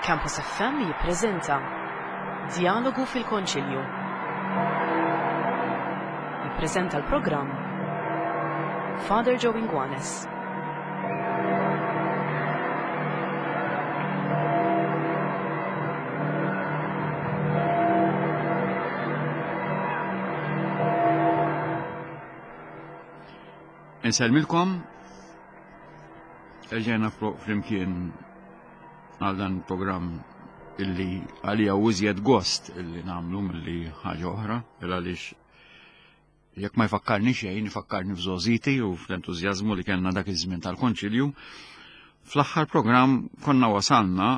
Campus FM jippreżenta Djalogu fil-Konċilju. Jippreżenta l-programm Father Joe Inguanes. Insellmilkom, erġajna flimkien għal dan il-programm illi għalija u iżjed gost illi namlu milli ħaġa oħra, il għaliex jekk ma jfakkarni xejn, jfakkarni f'żożiti u fl-entużjażmu li kellna dak iż-żmien tal-konċilju. Fl-aħħar programm konna wasalna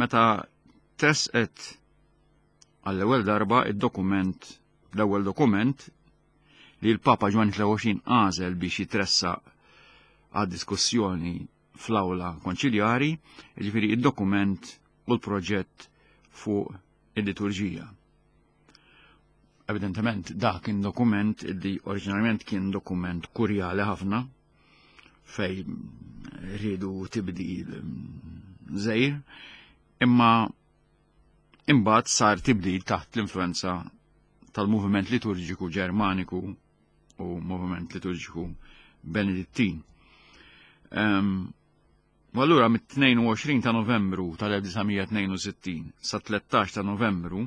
meta tresqet għall-ewwel darba id-dokument l-ewwel dokument li l-Papa Ġwanni 23 għażel biex jitressaq għad diskussjoni fl-awla konċiljari, jiġifieri id-dokument u l-proġett fuq il-liturġija. Evidentement dak kien dokument li oriġinarjament kien dokument kurjali ħafna fej rridu tibdil żejr, imma imbagħad sar tibdil taħt l-influenza tal-moviment liturġiku Ġermaniku u moviment liturġiku Benedittin. Um, u allura mit-22 ta' Novembru tal-1962 sa 13 ta' Novembru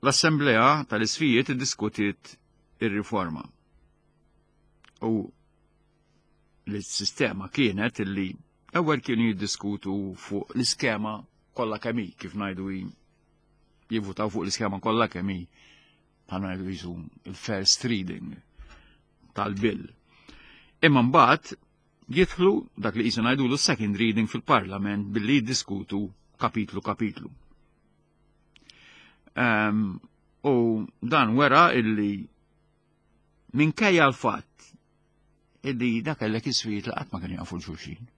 l-Assemblea tal-Isfijiet iddiskutiet ir-riforma. U l-sistema kienet illi ewwel kienu jiddiskutu fuq l-iskema kollha kemm hi kif ngħidu jivvutaw fuq l-iskema kollha kemm hi bħal ngħidu jisu il-first reading tal-bill. Imma mbagħad jidħlu dak li jisu ngħidulu second reading fil-Parlament billi jiddiskutu kapitlu kapitlu. Um, u dan wera illi minkejja l-fatt illi dak kellek iswiet li qatt ma kienu jafu l-xulxin.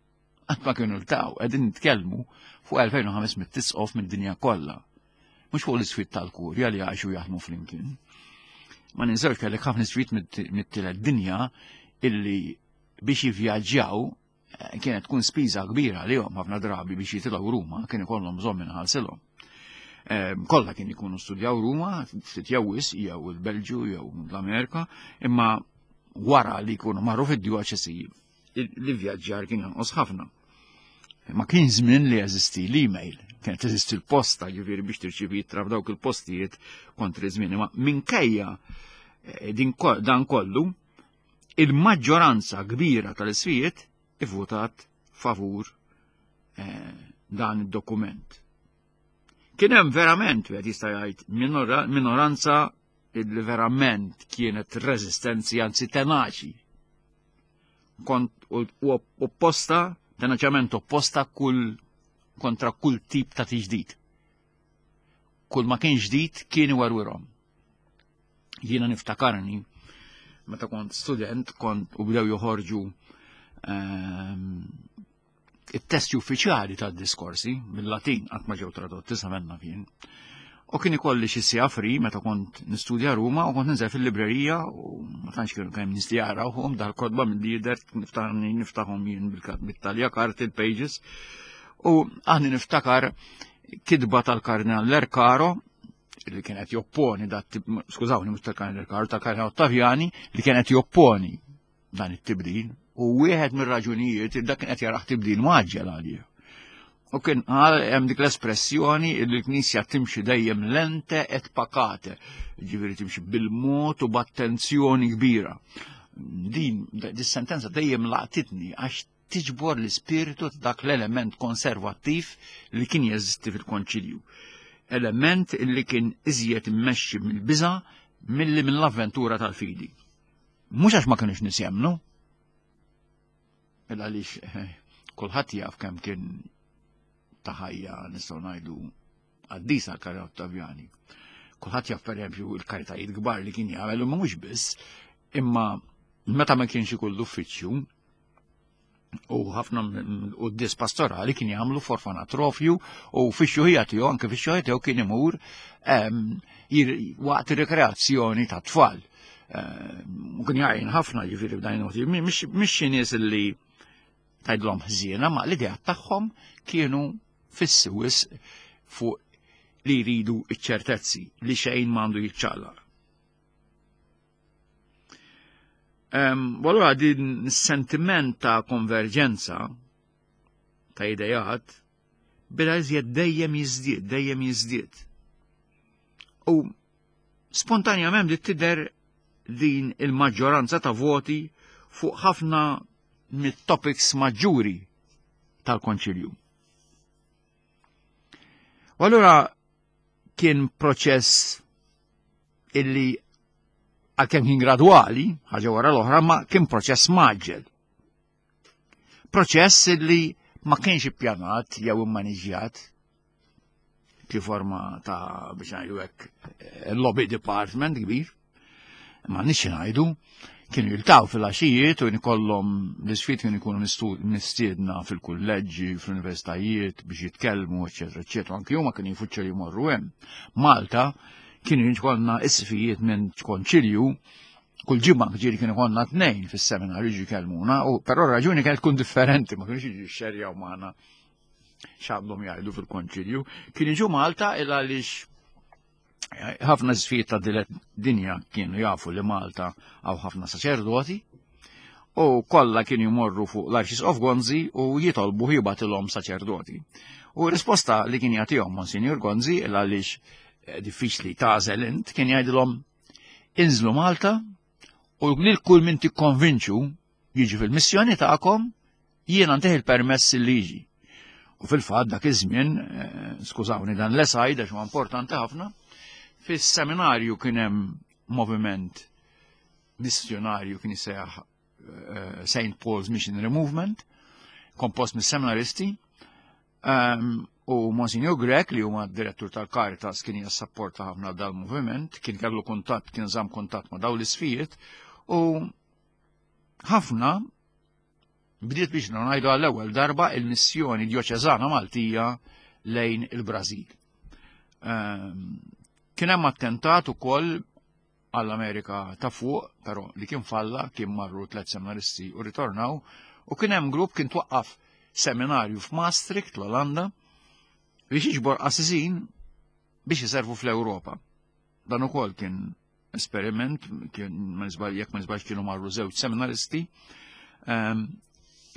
Qatt ma kienu ltaw, qegħdin nitkellmu fuq 2500 tisqof mid-dinja kollha. Mhux fuq l-iswiet tal-kurja li għaxu jaħdmu flimkien. Ma ninsewx kellek ħafna iswiet mit-tielet dinja illi biex jivvjaġġjaw eh, kienet tkun spiża kbira għalihom ħafna drabi biex jitilgħu Ruma, kien ikollhom bżonn minħallsilhom. Eh, kollha kien ikunu studjaw Ruma, ftit jew wis, jew il-Belġju jew l-Amerika, imma wara li jkunu marru fid-djoċesi li vjaġġar kien jonqos ħafna. Ma kien żmien li jeżisti l-email, kienet teżisti l-posta, ġifieri biex tirċivi ittra f'dawk il-postijiet kontri żmien. Imma minkejja eh, dan kollu, il-maġġoranza kbira tal-isfijiet ivvutat favur eh, dan id-dokument. Kien hemm verament, wieħed jista' jgħid, minoranza li verament kienet reżistenzi anzi tenaċi. Kont opposta, tenaċament opposta kull kontra kull tip ta' tiġdid. Kull ma kien ġdid kien iwerwirhom. Jiena niftakarni meta kont student kont u bdew joħorġu ehm, it-testi uffiċjali tad-diskorsi mill-Latin qatt ma ġew tradotti sa menna kien. U kien ikolli xi sija free meta kont nistudja Ruma u kont ninżel fil-librerija u ma tantx kienu kemm nies li jarawhom dal-kotba milli jidher niftaħni niftaħhom jien bit-talja karti il-pages. U aħni niftakar kitba tal-Kardinal Lercaro li kienet jopponi dat skużawni mhux tal-Kardinal Lercaro tal-Kardinal Ottaviani li kienet jopponi dan it-tibdil u wieħed mir-raġunijiet dak kien qed jaraħ tibdil maġġel għalih. U kien qal hemm dik l-espressjoni li l-Knisja timxi dejjem lente et pacate, ġifieri timxi bil-mod u b'attenzjoni kbira. Din dis-sentenza dejjem laqtitni għax tiġbor l-ispirtu ta' dak l-element konservattiv li kien jeżisti fil-konċilju. Element li kien iżjed immexxi mill-biża' milli mill-avventura tal-fidi. Mhux għax ma kinux nies jemmnu, il għaliex eh, kulħadd jaf kemm kien ta' ħajja nistgħu ngħidu qaddisa l-Karina Ottavjani. Kulħadd jaf pereżempju l-karitajiet kbar li kien jagħmel u mhux biss, imma meta ma kienx ikun l-uffiċċju u ħafna quddis pastorali kien jagħmlu forfanatrofju u fix-xuħija tiegħu anke fix-xuħija tiegħu kien imur ehm, waqt ir-rekreazzjoni ta' tfal. Ehm, u kien jgħin ħafna ġifieri f'dan il-motiv. Mhix xi nies li tgħidlhom ħżiena, ma l-ideat tagħhom kienu fissi wisq fuq li jridu iċ-ċertezzi li xejn m'għandu jiċċaqlaq. U allura din sentiment ta' konverġenza ta' idejat beda iżjed dejjem jiżdied, dejjem jiżdied. U spontanjament li tidher din il-maġġoranza ta' voti fuq ħafna mit-topics maġġuri tal-Konċilju. U allura kien proċess illi għalkemm kien gradwali, ħaġa wara l-oħra, ma kien proċess maġġel. Proċess illi ma kienx ippjanat jew immaniġjat fi forma ta' biex ngħidu hekk eh, lobby department kbir. Ma nix ngħidu kienu jiltaw fil-għaxijiet u nkollhom l-isfid kienu jkunu mistiedna fil-kulleġġi, fl-universitajiet biex jitkellmu, eċetera, eċetera. Anki huma kienu jfuċċu li jmorru hemm. Malta kienu jkollna isfijiet minn konċilju kull ġimgħa ġieli kienu konna tnejn fis-seminarju jiġu jkellmuna, u però raġuni kienet tkun differenti, ma kienux jiġu xerjaw magħna x'għandhom jgħidu fil-konċilju. Kien jiġu Malta il għaliex eh, ħafna sfijiet ta' dinja kienu jafu li Malta għaw ħafna saċerdoti u kollha kienu jmorru fuq l-Arċisqof Gonzi u jitolbu jibatilhom saċerdoti. U risposta li kien jagħtihom Monsinjur Gonzi il għaliex eh, diffiċli tagħżel int kien jgħidilhom inżlu Malta u lil kull min tikkonvinċu jiġi fil-missjoni tagħkom jiena ntih il-permess li jiġi. U fil-fatt dak iż-żmien, eh, skużawni dan l-esajd għax huwa importanti ħafna, fis-seminarju kien hemm moviment missjonarju kien jisejjaħ eh, St. Paul's Missionary Movement, kompost mis-seminaristi, Ehm, u Monsignor Grech li huma direttur tal-Caritas kien jassapporta ħafna dal-moviment, kien kellu kuntatt, kien żamm kuntatt ma' dawn l-isfijiet u ħafna bdiet biex ngħidu għall-ewwel darba il-missjoni djoċeżana Maltija lejn il-Brażil. Ehm, kien hemm attentat ukoll għall-Amerika ta' fuq, però li kien falla, kien marru tlet seminaristi u ritornaw, u kien hemm grupp kien twaqqaf seminarju f'Maastricht, l-Olanda, biex jiġbor qassisin biex jiservu fl-Ewropa. Dan ukoll kien esperiment, kien ma jekk ma nisbalx kienu marru żewġ seminaristi, ehm,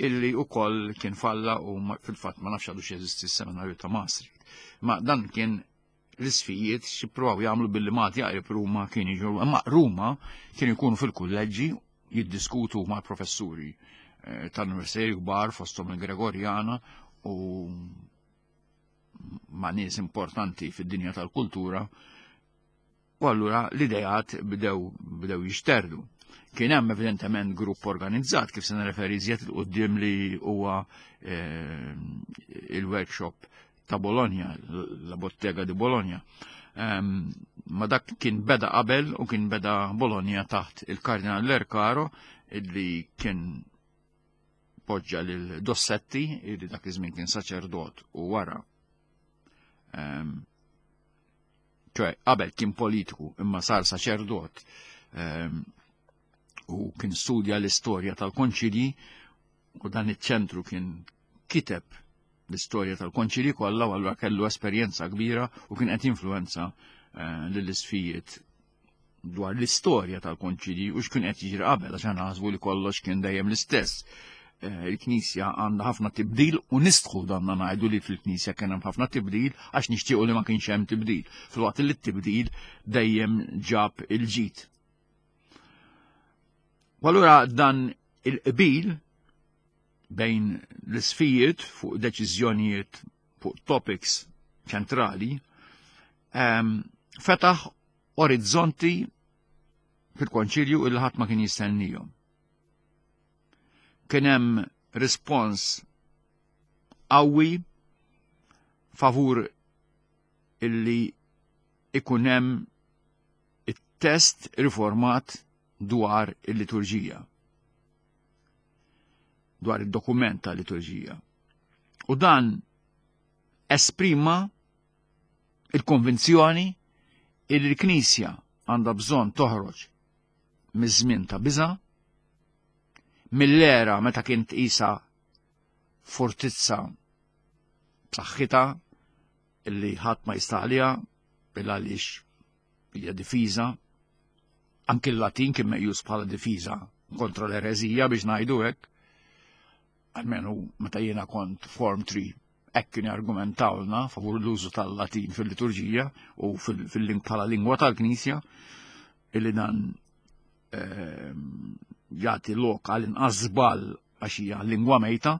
illi ukoll kien falla u fil-fatt ma nafx għadu jeżisti s-seminarju ta' Maastricht. Ma dan kien l-isfijiet x'jippruvaw jagħmlu billi Malti jaqrib Ruma kien jiġu imma Ruma kienu jkunu fil-kulleġġi jiddiskutu mal-professuri eh, tal-universitajiet kbar fosthom il-Gregorjana u ma' nies importanti fid-dinja tal-kultura U allura l-ideat bdew bdew jixterdu. Kien hemm evidentement grupp organizzat kif se nirreferi iżjed il qudiem li huwa eh, il-workshop ta' Bologna, la Bottega di Bologna. Ehm, ma dak kien beda qabel u kien beda Bologna taħt il-Kardinal Lercaro illi kien poġġa lil Dossetti illi dak iż-żmien kien saċerdot u wara ehm, ċoħe qabel kien politiku imma sar saċerdot ehm, u kien studja l-istorja tal-konċilji u dan iċ-ċentru kien kiteb l-istorja tal-konċilji kollha u allura kellu esperjenza kbira u kien qed jinfluwenza eh, lill-isfijiet dwar l-istorja tal-konċilji u x'kien qed jiġri qabel għax aħna naħsbu li kollox kien dejjem l-istess. Eh, il-Knisja għandha ħafna tibdil u nistħu danna ngħidu li fil-Knisja kien hemm ħafna tibdil għax nixtiequ li ma kienx hemm tibdil. Filwaqt li t-tibdil dejjem ġab il-ġid. U allura dan il-qbil bejn l-isfijiet fuq deċiżjonijiet fuq topics ċentrali ehm, fetaħ orizzonti fil-konċilju il ħadd ma kien jistennihom. Kien hemm rispons qawwi favur illi ikun hemm it-test riformat dwar il-liturġija. Dwar id-dokument tal-liturġija. U dan esprima il-konvinzjoni illi l-Knisja għandha bżonn toħroġ miż-żmien ta' biża', mill-era meta kien tqisha fortizza b'saħħitha illi ħadd ma jista' għaliha bil għaliex hija difiża. Anki l-Latin kien meqjus bħala difiża kontra l-ereżija biex ngħidu hekk. Almenu meta jiena kont Form 3 hekk kien argumentawlna favur l-użu tal-Latin fil-liturġija u fil bħala lingwa tal-Knisja illi dan jagħti lok għal inqas żball għax hija lingwa mejta.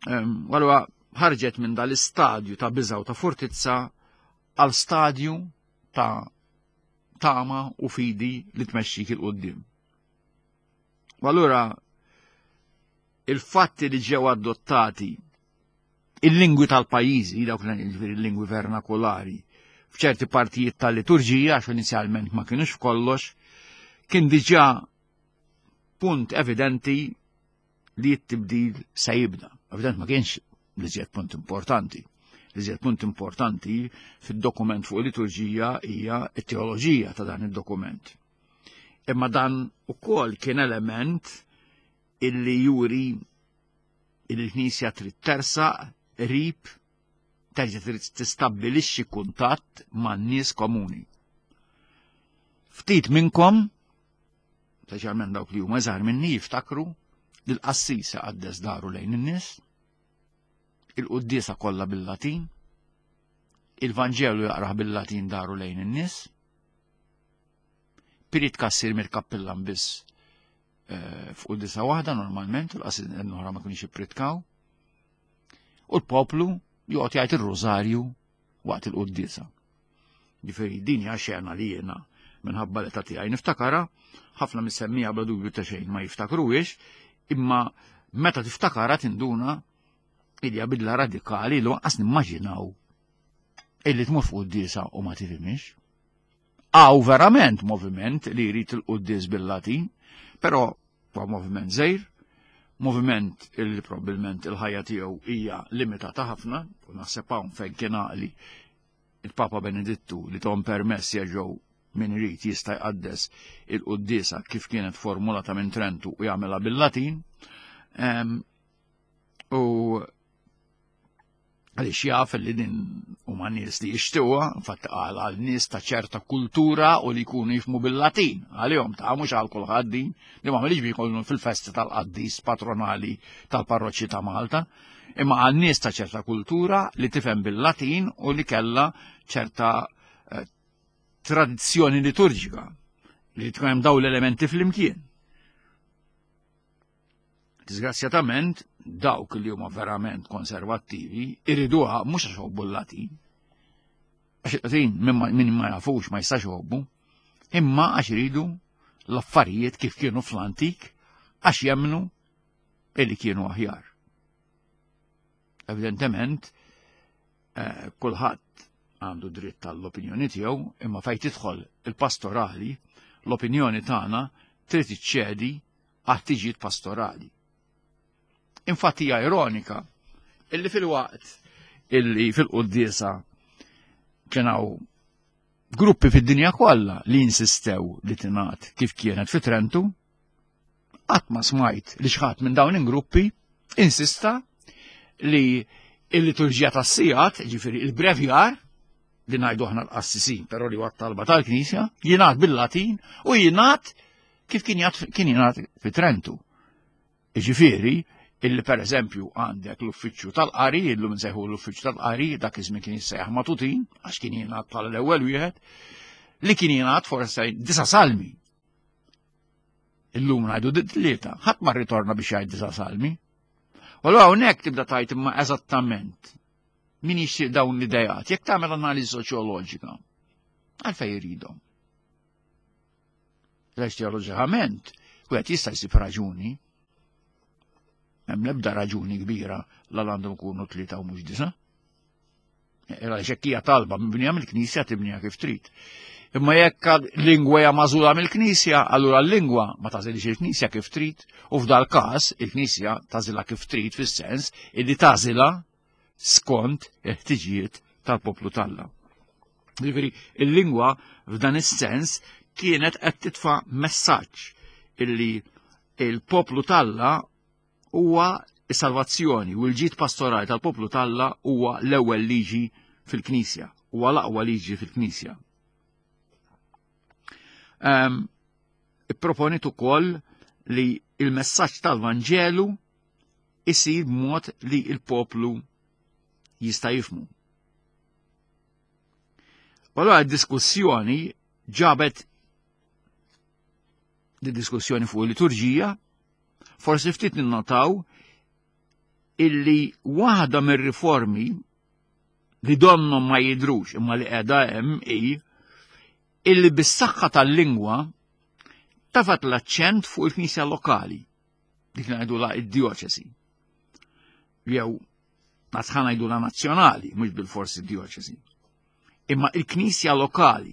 Allura ħarġet minn dal-istadju ta' biża' u ta' fortizza għal stadju ta' tama u fidi li tmexxik il qudiem. U allura il-fatti li ġew adottati il-lingwi tal-pajjiżi, dawk il-lingwi vernakolari, f'ċerti partijiet tal-liturġija, għax inizjalment ma kienux f'kollox, kien diġà punt evidenti li t-tibdil se jibda. Evident ma kienx li ġiet punt importanti. Li ġiet punt importanti fid-dokument fuq il-liturġija hija t-teoloġija ta' dan id-dokument. Imma dan ukoll kien element illi juri il-Knisja trid tersaq qrib terġa' trid tistabbilixxi kuntatt man-nies komuni. Ftit minnkom, speċjalment dawk li huma żgħar minni jiftakru li l-qassis iqaddes daru lejn in-nies, il-quddiesa kollha bil-Latin, il-Vanġelu jaqrah bil-Latin daru lejn in-nies, priedka ssir mill-kappillan biss eh, f'quddiesa waħda normalment, u l-qassis oħra ma kienx jippritkaw. U l-poplu joqgħod jgħid ir-rużarju waqt il-quddiesa. Ġifieri din hija xena li jiena minħabba l-età tiegħi niftakara, ħafna mis-semmija bla dubju ta' xejn ma jiftakruhiex, imma meta tiftakara tinduna hija bidla radikali li lanqas nimmaġinaw illi tmur fuq quddiesa u ma tifhimhiex. Għaw verament moviment li jrid il-quddies bil-Latin, però huwa moviment żgħir, moviment illi probabbilment il-ħajja tiegħu hija limitata ħafna, u naħseb hawn fejn kien għaqli il-Papa Benedittu li tom permess jerġgħu min irid jista' jqaddes il-quddiesa kif kienet formulata minn Trentu u jagħmilha bil-Latin. U għaliex jaf li din huma nies li jixtiwa, fatt qal għal nies ta' ċerta kultura u li jkunu jifmu bil-Latin, għalihom ta' mhux għal kulħadd din, li ma għamilx biex fil-festi tal-qaddis patronali tal-parroċċi ta' Malta, imma għal nies ta' ċerta kultura li tifhem bil-Latin u li kellha ċerta eh, tradizzjoni liturġika li tkun hemm dawn l-elementi flimkien. Disgrazzjatament, dawk li huma verament konservattivi iriduha mhux għax jħobbu l-Latin. Għax il-Latin min ma jafux ma jistax jħobbu, imma għax iridu l-affarijiet kif kienu fl-antik għax jemmnu illi kienu aħjar. Evidentement, eh, kulħadd għandu dritt tal-opinjoni tiegħu, imma fejn tidħol il-pastorali, l-opinjoni tagħna trid iċċedi għat-tiġijiet pastorali. Infatti hija ironika illi fil-waqt illi fil-quddiesa kien hawn gruppi fid-dinja kollha li insistew li tingħad kif kienet fi Trentu, qatt ma smajt li xħat minn dawn il-gruppi insista li il-liturġija tas-sigħat, ġifieri il-brevjar, li ngħidu aħna l-qassisin, però li huwa talba tal-Knisja, jingħad bil-Latin u jingħad kif kien kien jingħad fi Trentu. Jiġifieri, illi per eżempju għandek l-uffiċċju tal-qari, illum nsejħu l-uffiċċju tal-qari, dak iż-żmien kien jissejjaħ matutin, għax kien jingħad bħala l-ewwel wieħed, li kien jingħad forse disa salmi. Illum ngħidu tlieta, ħadd ma rritorna biex jgħid disa salmi. U allura hawnhekk tibda tajt imma eżattament min jixtieq dawn l-idejat, jekk tagħmel analiżi soċjoloġika, għalfejn jridhom. Għax teoloġikament, wieħed jista' jsib raġuni. Hemm l-ebda raġuni kbira l għandhom ikunu tlieta u mhux disa. Era xekk hija talba mibnija mill-Knisja tibnija kif trid. Imma jekk lingwa hija magħżula mill-Knisja, allura l-lingwa ma tażilx il-Knisja kif trid, u f'dal każ il-Knisja tażilha kif trid fis-sens illi tażilha skont il-ħtiġijiet tal-poplu talla. Jiġifieri il-lingwa f'dan is-sens kienet qed titfa' messaġġ illi il-poplu talla huwa Is-salvazzjoni u l-ġid pastorali tal-poplu t'Alla huwa l-ewwel liġi fil-Knisja, huwa l-aqwa liġi fil-Knisja. Um, Ipproponit ukoll li il-messaġġ tal-Vanġelu isir b'mod li il-poplu jista' jifmu. U allura d-diskussjoni ġabet di diskussjoni fuq il-liturġija, forsi ftit ninnotaw illi waħda mir-riformi li donnom ma jidrux imma li qiegħda hemm hi illi bis-saħħa tal-lingwa tafat l-aċċent fuq il-knisja lokali, dik li ngħidula id-dioċesi. Jew ħa ngħidula nazzjonali, mhux bil-forsi dioċesi. Imma il-knisja lokali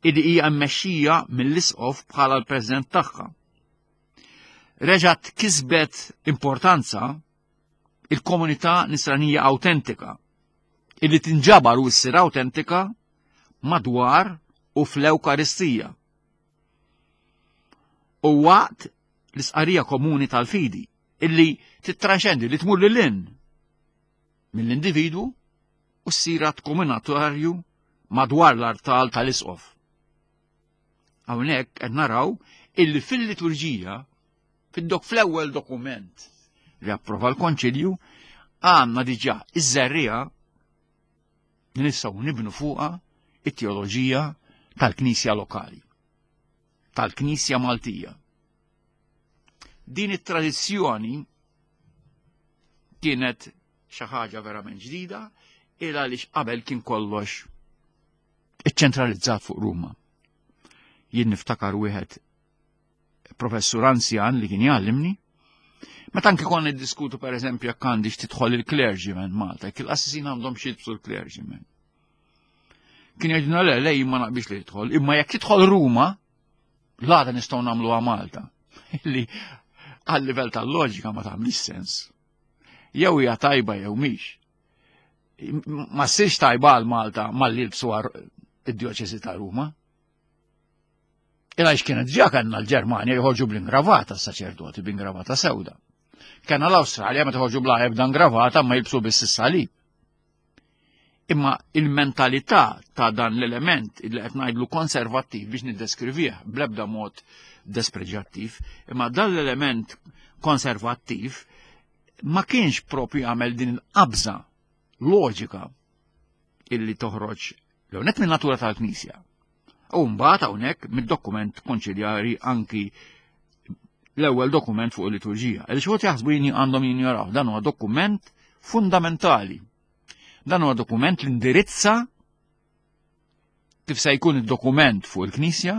illi hija mmexxija mill-isqof bħala l-president tagħha. Reġgħet kisbet importanza il-komunità nisranija autentika illi tinġabar u ssir autentika madwar u fl-Ewkaristija. U waqt l-isqarija komuni tal-fidi illi tittraxendi li tmur lil mill-individwu u ssir att komunitarju madwar l-artal tal-isqof. Hawnhekk qed naraw illi fil-liturġija, fid-dok fl-ewwel dokument li approva l-Konċilju, għandna diġà iż-żerriegħa li nistgħu nibnu fuqha it-teoloġija tal-Knisja lokali, tal-Knisja Maltija. Din it-tradizzjoni kienet xi ħaġa verament ġdida il għaliex qabel kien kollox iċċentralizzat fuq Ruma. Jien niftakar wieħed professur anzjan li kien jgħallimni, meta anke konna niddiskutu pereżempju jekk għandix tidħol il-clergyman Malta, jekk il-qassisin għandhom xi jilbsu l-clergyman. Kien jgħidilna le, le jien ma naqbilx li jidħol, imma jekk tidħol Ruma, l-għada nistgħu nagħmluha Malta. Li għal livell tal-loġika ma tagħmlix sens. Jew hija tajba jew mhix. Ma ssirx tajba għal Malta malli jilbsu id-djoċesi ta' Ruma. Ila kienet ġa kellna l-Ġermanja joħorġu bl-ingravata s-saċerdoti b'ingravata sewda. Kellna l-Awstralja meta joħorġu bla ebda ingravata ma jilbsu biss is-salib. Imma il-mentalità ta' dan l-element li qed ngħidlu konservattiv biex niddeskrivih bl-ebda mod despreġjattiv, imma dan l-element konservattiv ma kienx propju għamel din il-qabża loġika illi toħroġ l-għonet minn natura tal-Knisja. U mbagħad hawnhekk mid-dokument konċiljari anki l-ewwel dokument fuq il-liturġija. Għaliex xi jaħsbu jien għandhom jinjoraw dan huwa dokument fundamentali. Dan huwa dokument li indirizza kif se jkun id-dokument fuq il-Knisja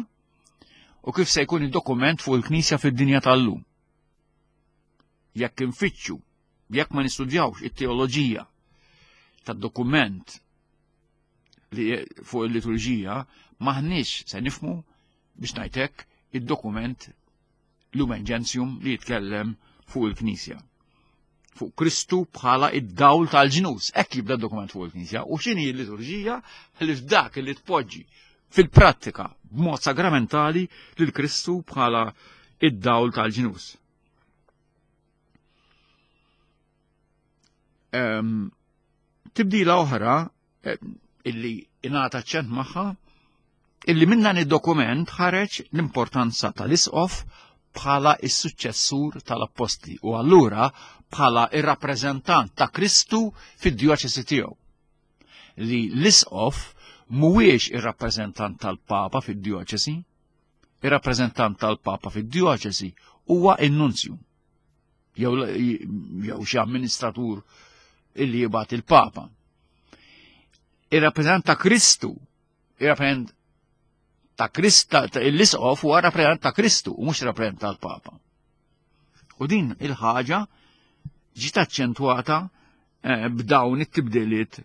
u kif se jkun id-dokument fuq il-Knisja fid-dinja tal-lum. Jekk infittxu, jekk ma nistudjawx it-teoloġija tad-dokument li fuq il-liturġija, maħniex se nifmu biex ngħidlek id-dokument Lumen Gentium li jitkellem fuq il-Knisja. Fuq Kristu bħala id-dawl tal-ġnus. Hekk jibda d-dokument fuq il-Knisja. U x'inhi l-liturġija li f'dak li tpoġġi fil-prattika b'mod sagramentali lil Kristu bħala id-dawl tal-ġnus. Um, tibdila oħra eh, illi ingħata ċent magħha illi minn dan id-dokument ħareġ l-importanza tal-isqof bħala is-suċċessur tal-appostli u allura bħala ir-rappreżentant ta' Kristu fid-djoċesi tiegħu. Li l-isqof mhuwiex ir-rappreżentant tal-Papa fid-djoċesi, ir-rappreżentant tal-Papa fid-djoċesi huwa in-nunzju jew jew xi amministratur illi jibgħat il-Papa. Ir-rappreżentant ta' Kristu, ir-rappreżentant ta' Krista, l-isqof huwa rappreżentant ta' Kristu u mhux rappreżentant tal-Papa. U din il-ħaġa ġiet aċċentwata eh, b'dawn it-tibdiliet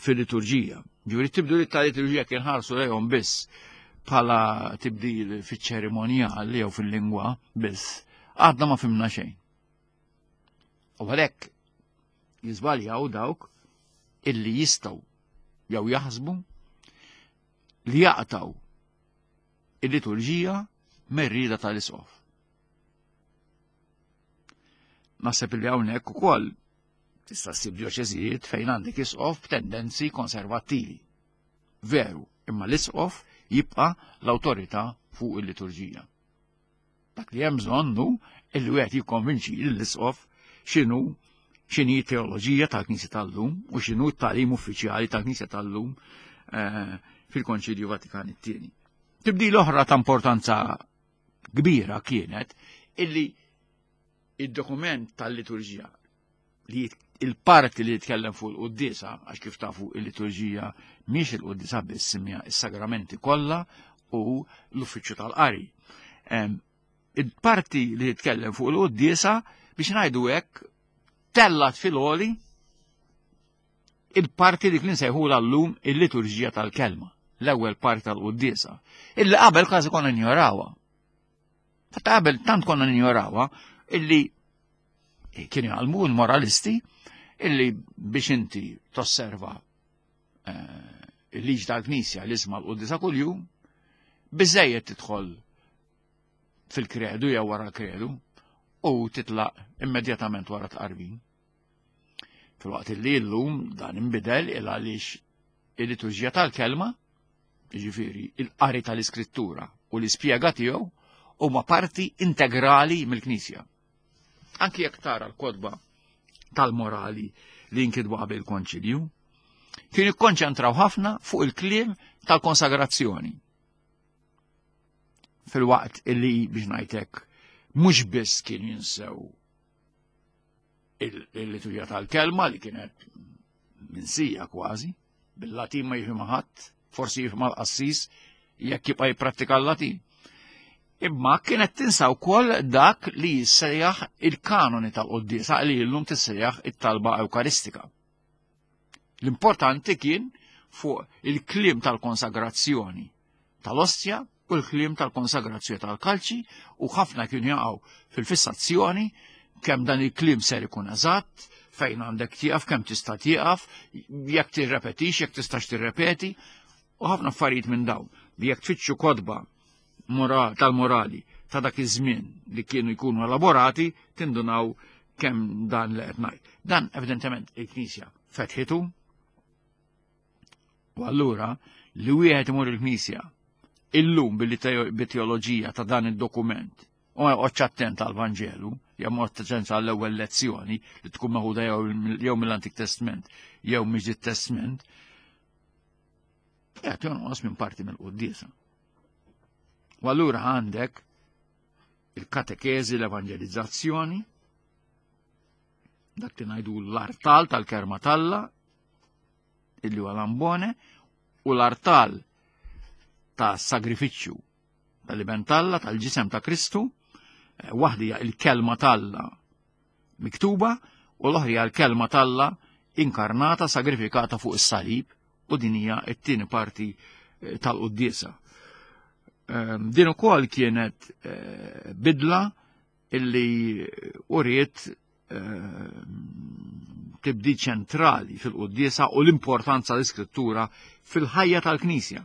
fil-liturġija. Ġifieri t-tibdiliet tal-liturġija kien ħarsu lejhom biss bħala tibdil fiċ-ċerimonjal jew fil-lingwa biss, għadna ma fimna xejn. U għalhekk jiżbaljaw dawk illi jistgħu jew jaħsbu li jaqtaw il-liturġija mer-rieda tal-isqof. Naħseb li hawnhekk ukoll tista' ssib djoċeżijiet fejn għandek isqof b'tendenzi konservattivi. Veru, imma l-isqof jibqa' l-awtorità fuq il-liturġija. Dak li hemm bżonn hu illi wieħed jikkonvinċi lill-isqof x'inhu x'inhi teoloġija tal-Knisja tal-lum u x'inhu t-tagħlim uffiċjali tal-Knisja tal-lum eh, fil-Konċilju Vatikan it-tieni. Tibdil oħra ta' importanza kbira kienet illi id-dokument tal-liturġija li il-parti li jitkellem fuq il-quddiesa, għax kif tafu il-liturġija mhix il-quddiesa biss imma is-sagramenti kollha u l-uffiċċju tal-qari. Il-parti li jitkellem fuq il-quddiesa biex ngħidu hekk tellat fil-għoli il-parti li kien sejħula llum il-liturġija tal-kelma, l-ewwel parti tal-quddiesa, illi qabel kważi konna njorawha. Ta' qabel tant konna ninjorawha illi kienu jgħalmu l-moralisti illi biex inti tosserva eh, il-liġi tal-Knisja li isma l-quddisa kuljum, biżejjed tidħol fil-kredu jew wara l-kredu u titlaq immedjatament wara tqarbin. Filwaqt li llum dan inbidel il għaliex il-liturġija tal-kelma, jiġifieri il-qari tal-iskrittura u l-ispjega tiegħu huma parti integrali mill-Knisja. Anki jekk tara l-kotba tal-morali li jinkitbu qabel il-konċilju, kienu jikkonċentraw ħafna fuq il-kliem tal-konsagrazzjoni. Fil-waqt illi biex ngħidlek mhux biss kien jinsew il-liturġija tal-kelma li kienet minsija kważi, bil-Latin ma jifhimha ħadd, forsi jifhimha l-qassis jekk jibqa' jipprattika l-Latin. Imma kienet tinsa wkoll dak li jissejjaħ il-kanoni tal-quddiesa li llum tissejjaħ it-talba Ewkaristika. L-importanti kien fuq il-kliem tal-konsagrazzjoni tal-ostja u l-kliem tal-konsagrazzjoni tal-kalċi u ħafna kienu jaqgħu fil-fissazzjoni kemm dan il-kliem ser ikun eżatt, fejn għandek tieqaf, kemm tista' tieqaf, jekk tirrepetix, jekk tistax tirrepeti, u ħafna affarijiet minn dawn li jekk tfittxu kotba tal-morali ta' dak iż-żmien li kienu jkunu elaborati tindunaw kemm dan li qed ngħid. Dan evidentement il-Knisja fetħitu u allura li wieħed imur il-Knisja illum billi teoloġija ta' dan id-dokument u ma joqgħodx attent għall-Vanġelu, jew ma attent għall-ewwel lezzjoni li tkun meħuda jew mill-Antik Testament jew mill-Ġdid Testament, qed jonqos minn parti mill-quddiesa. U allura għandek il-katekeżi, l-evanġelizzazzjoni, dak li ngħidu l-artal tal-kelma t'Alla, illi huwa l-ambone, u l-artal ta' sagrifiċċju tal-iben t'Alla, tal-ġisem ta' Kristu, eh, waħda hija il-kelma t'Alla miktuba u l-oħra hija l-kelma t'Alla inkarnata, sagrifikata fuq is-salib u din hija t-tieni parti eh, tal-quddiesa. Ehm, din ukoll kienet eh, bidla illi uriet ehm, tibdi ċentrali fil-quddiesa u l-importanza l-iskrittura fil-ħajja tal-Knisja.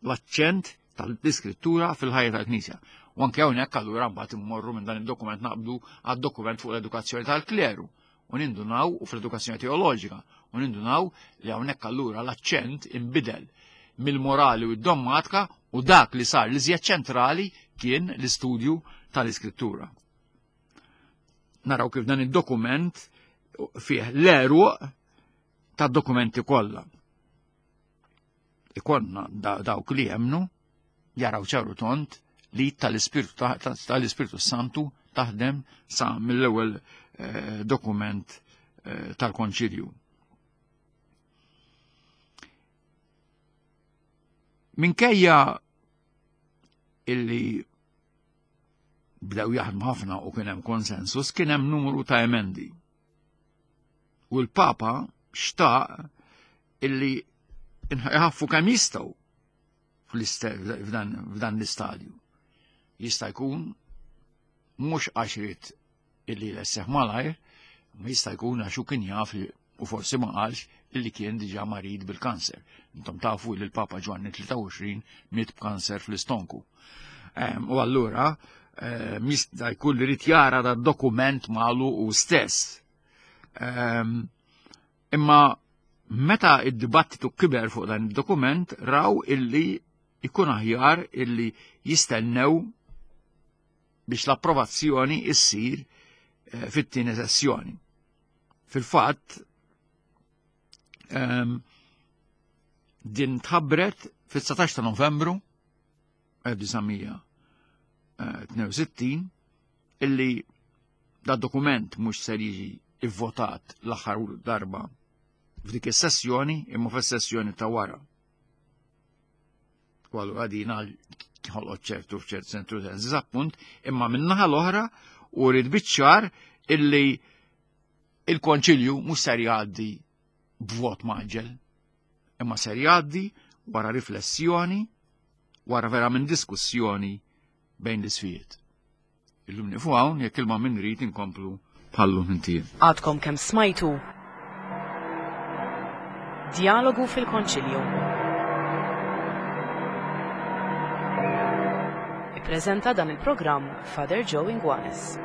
L-aċċent tal-iskrittura fil-ħajja tal-Knisja. U anke hawnhekk allura mbagħad immorru minn dan id-dokument naqbdu għad-dokument fuq l-edukazzjoni tal-kleru u nindunaw u fl-edukazzjoni teoloġika u nindunaw li hawnhekk allura l-aċċent inbidel mill-morali u d-dommatika u dak li sar li żjed ċentrali kien l-istudju tal-iskrittura. Naraw kif dan id-dokument fih l-eruq tad-dokumenti kollha. Ikonna dawk li jemnu jaraw ċaru tont li tal-Ispirtu tal-Ispirtu Santu taħdem sa mill-ewwel eh, dokument eh, tal-Konċilju. Minkejja illi bdew jaħdmu ħafna u kien hemm konsensus, kien hemm numru ta' emendi. U l-Papa xtaq illi jħaffu kemm jistgħu f'dan l-istadju. Jista' jkun mhux għax irid illi jlesseħ malajr, ma jista' jkun għax hu kien jaf li u forsi ma qalx illi kien diġà marid bil-kanser. Intom tafu li l-Papa Ġwanni 23 miet b'kanser fl-istonku. U allura Ehm, jista' jkun li rid jara da dokument malu u stess. Ehm, imma meta id-dibattitu kiber fuq dan id-dokument raw illi ikun aħjar illi jistennew biex l-approvazzjoni issir eh, fit-tieni sessjoni. Fil-fatt, ehm, din tħabbret fit-19 ta' Novembru 1962 illi da dokument mhux ser jiġi ivvotat l-aħħar darba f'dik is-sessjoni imma fis-sessjoni ta' wara. U allura din ħolqot ċertu f'ċert sentru ta' diżappunt, imma min-naħa l-oħra u rrid biċ-ċar illi il-konċilju mhux ser jgħaddi b'vot maġġel, imma ser jgħaddi wara riflessjoni, wara verament diskussjoni bejn l-isfijiet. Illum nifu hawn jekk ilma min rid inkomplu bħallu inti. Għadkom kemm smajtu Djalogu fil-Konċilju. Ippreżenta dan il-programm Father Joe Inguanes.